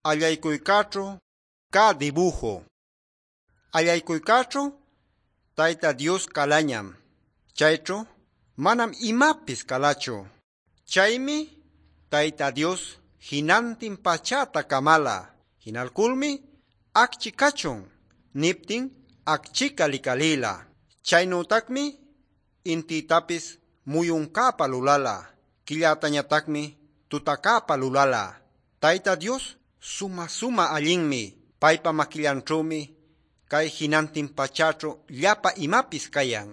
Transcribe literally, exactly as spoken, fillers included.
Allaykuykaaćhu cä dibujo. Allaykuykaaćhu Tayta Dios calañam. Chayćhu manam imapis calachu. Chaymi Tayta Dios jinantin pachäta camala. Jinalculmi acchi cachun niptin acchica licalïla. Chaynütacmi intïtapis muyuncäpa lulala. Quillatañatacmi tutacäpa lulala. Tayta Dios sumä-sumä allinmi. Paypa maquillanćhümi cay jinantin pachäćhu llapa imapis cayan.